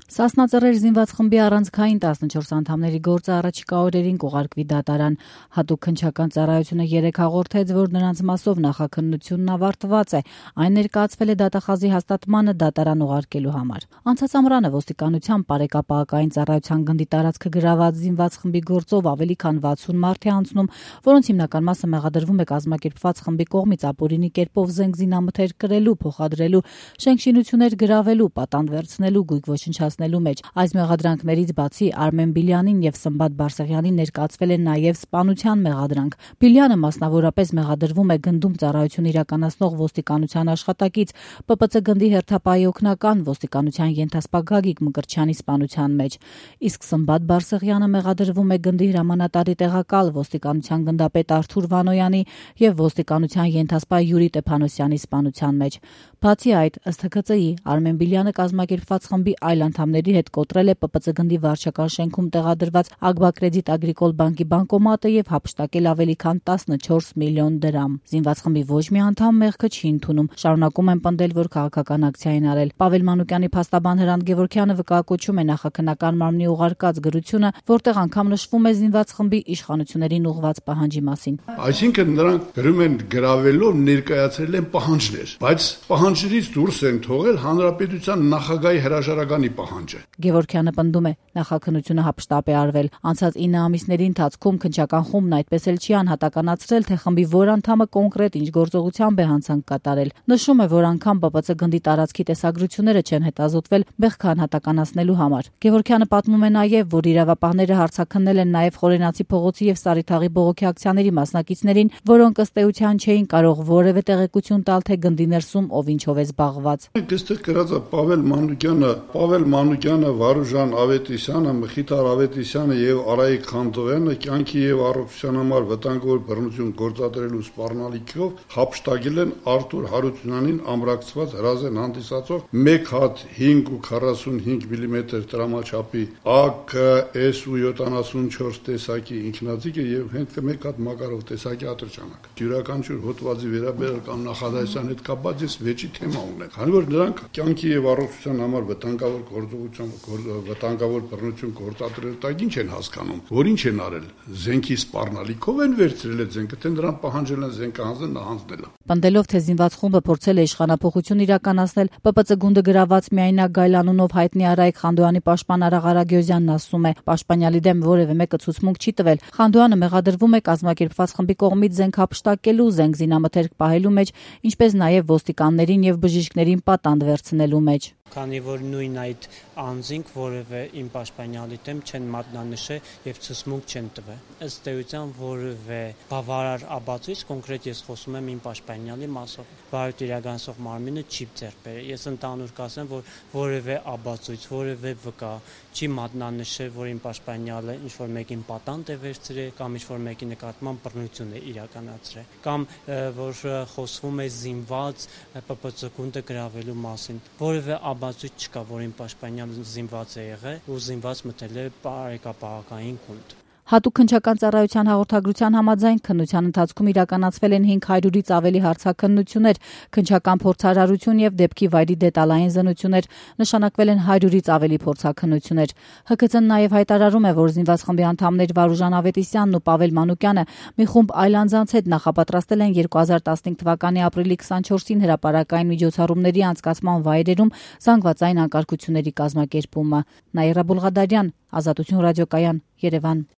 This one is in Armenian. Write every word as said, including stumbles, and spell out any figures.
Սասնածռեր զինված խմբի առանցքային տասնչորս անդամների գործը առաջիկա օրերին կուղարկվի դատարան։ Հատուկ քննչական ծառայությունը երեկ հաղորդեց, որ նրանց մասով նախաքննությունն ավարտված է, այն ներկայացվել է դատախազի հաստատմանը դատարան ուղարկելու համար։ Անցած ամռանը ոստիկանության բարեկապահական ծառայության գնդի տարածքը գրաված զինված խմբի գործով ավելի քան վաթսուն մարդ է անցնում, որոնց հիմնական մասը մեղադրվում է կազմակերպված խմբի կողմից ապօրինի կերպով զենք զինամթեր կրելու, փոխադրելու, շենքշինություններ գրավելու, պատանդ վերցնելու, գույք ոչնչացնելու մեջ։ Այս մեղադրանքներից բացի Արմեն Բիլյանին եւ Սմբատ Բարսեղյանին ներկայացվել է նաեւ սպանության մեղադրանք։ Բիլյանը մասնավորապես մեղադրվում է գնդում ծառայություն իրականացնող ոստիկանության աշխատակից Պ Պ Ց գնդի հերթապահի օգնական ոստիկանության ենթասպա Գագիկ Մկրտչյանի սպանության մեջ, իսկ Սմբատ Բարսեղյանը մեղադրվում է գնդի հրամանատարի տեղակալ ոստիկանության գնդապետ Արթուր Վանոյանի եւ ոստիկանության ենթասպա Յուրի Տեփանոսյանի սպանության մեջ։ Բացի այդ, ըստ Հ Ք Ծ ի, Արմեն Բիլյանը կազմակերպված խմբի այլ անդամների հետ կոտրել է Պ Պ Ց գնդի վարչական շենքում տեղադրված Ագբակրեդիտ Ագրիկոլ բանկի բանկոմատը եւ հափշտակել ավելի քան տասնչորս միլիոն դրամ։ Զինված խմբի ոչ մի անդամ մեղքը չի ընդունում, շարունակում են պնդել, որ քաղաքական ակցիա են արել։ Պավել Մանուկյանի փաստաբան Հրանտ Գևորգյանը վկայակոչում է նախաքննական մարմնի ուղարկած գրությունը, որտեղ անգամ նշվում է զինված խմբի իշխանություններին ուղղված պահանջի մասին։ Այսինքն նրանք գրում են գրավելով ներկայացրել են պահանջներ, բայց պահանջներից դուրս են թողել հանրապետության նախագահի հրաժարականի պահանջը։ Գևորգյանը պնդում է, նախաքննությունը հափշտապ է արվել։ Անցած ինը ամիսների ընթացքում քննչական խումբն այդպես էլ չի անհատականացրել, թե խմբի որ անդամը կոնկրետ ինչ գործողությամբ է հանցանք կատարել։ Նշում է, որ անգամ Պ Պ Ց գնդի տարածքի տեսագրությունները չեն հետազոտվել մեղքը անհատականացնելու համար։ Գևորգյանը պատմում է նաև, որ իրավապահները հարցաքննել են նաև Խորենացի փողոցի եւ Սարիթաղի բողոքի ակցիաների մասնակիցներին, որոնք ըստ էության չէին կարող որևէ տեղեկություն տալ, թե գնդի ներսում ով ինչով է զբաղված։ Այստեղ գրած է Պավել Մանուկյանը, Պավել Մանուկյանը, Վարուժան Ավետիսյանը, Մխիթար Ավետիսյանը եւ Արայիկ Խանդոյանը կյանքի եւ առողջության համար վտանգավոր բռնություն գործադրելու սպառնալիքով հափշտակել են Արթուր Հարությունյանին ամրացված հրազեն հանդիսացող մեկ հատ հինգ ու քառասունհինգ միլիմետր տրամաչափի A K S U յոթանասունչորս տեսակի ինքնաձիգը եւ հենց մեկ հատ Մակարով տեսակի ատրճանակ։ Յուրաքանչյուր հոդվածի վերաբերյալ կամ նախադասության հետ կապված ես վեճի թեմա ունեն։ Քանի որ նրանք կյանքի եւ առողջության համար վտանգավոր գործողություն, վտանգավոր բռնություն գործադրել տակ ինչ են հասկանում, որ ինչ են արել, զենքի սպառնալիքով են վերցրել այդ զենքը, թե նրան պահանջել են զենքը հանձնել, հանձնել։ Պնդելով, թե զինված խումբը փորձել է իշխանափոխություն իրականացնել, Պ Պ Ց գունդը գրաված միայնակ գայլանունով հայտնի Արայիկ Խանդոյանի պաշտպան Արա Ղարագյոզյանն ասում է, պաշտպանյալի դեմ որևէ մեկը ցուցմունք չի տվել։ Խանդոյանը մեղադրվում է կազմակերպված խմբի կողմից զենք հափշտակելու, զենք զինամթերք պահելու մեջ, ինչպես նաև ոստիկաններին եւ բժիշկներին պատանդ վերցնելու մեջ։ Քանի որ նույն այդ անձինք որևէ իմ պաշտպանյալի դեմ չեն մատնանշել եւ ցուցմունք չեն տվել։ Ըստ էության որևէ բավարար ապացույց, կոնկրետ ես խոսում եմ իմ պաշտպանյալի մասով, բարդ իրականացող մարմինը չի ձեռք բերել։ Ես ընդհանուր կասեմ, որ որևէ ապացույց, որևէ վկա չի մատնանշել, որ իմ պաշտպանյալը ինչ որ մեկին պատանդ է վերցրել կամ ինչ որ մեկի նկատմամբ բռնություն է իրականացրել, կամ որ խոսվում է զինված Պ Պ Ց գունդը գրավելու մասին։ Որևէ բացույց չկա, որ իմ պաշտպանյալը զինված է եղել ու զինված մտել է բարեկապահական գունդ։ Հատուկ քննչական ծառայության հաղորդագրության համաձայն քննության ընթացքում իրականացվել են հինգ հարյուրից ավելի հարցաքննություններ, քննչական փորձարարություն եւ դեպքի վայրի դետալային զննություններ, նշանակվել են հարյուրից ավելի փորձաքննություններ։ Հ Ք Ծ-ն նաեւ հայտարարում է, որ զինված խմբի անդամներ Վարուժան Ավետիսյանն ու Պավել Մանուկյանը մի խումբ այլ անձանց հետ նախապատրաստել են երկու հազար տասնհինգ թվականի ապրիլի քսանչորսին հրապարակային միջոցառումների անցկացման վայրերում զանգվածային անկարգությունների կազմակերպումը։ Նաիրա Բուլղադարյան, Ազատություն ռադիոկայան, Երևան։